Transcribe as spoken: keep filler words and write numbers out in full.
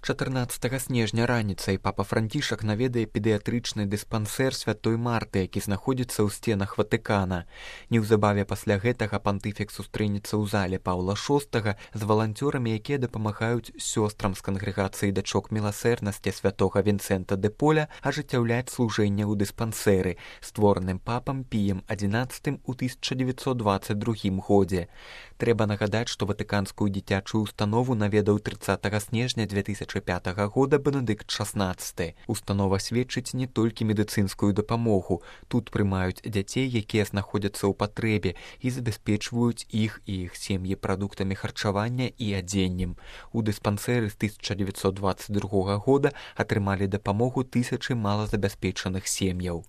чатырнаццатага снежня раніцай папа Францішак наведае педыятрычны дыспансер святой Марты, які знаходзіцца ў сценах Ватыкана. Неўзабаве пасля гэтага пантыфік сустрэнецца ў зале Паўла шостага з валанцёрамі, якія дапамагаюць сёстрам з кангрэгацыі дачок міласэрнасці святога Вінцэнта де Поля ажыццяўляць служэнне ў дыспансеры, створаным папам Піем адзінаццатым у тысяча дзевяцьсот дваццаць другім годзе. Трэба нагадаць, што ватыканскую дзіцячую установу наведаў трыццатага снежня дзве тысячы пятага года Бенедыкт шаснаццаты. Установа сведчыць не толькі медыцынскую дапамогу. Тут прымаюць дзяцей, якія знаходзяцца ў патрэбе і забяспечваюць іх і іх сем'і прадуктамі харчавання і адзеннем. У дыспансеры з тысяча дзевяцьсот дваццаць другога года атрымалі дапамогу тысячы малазабяспечаных сем'яў.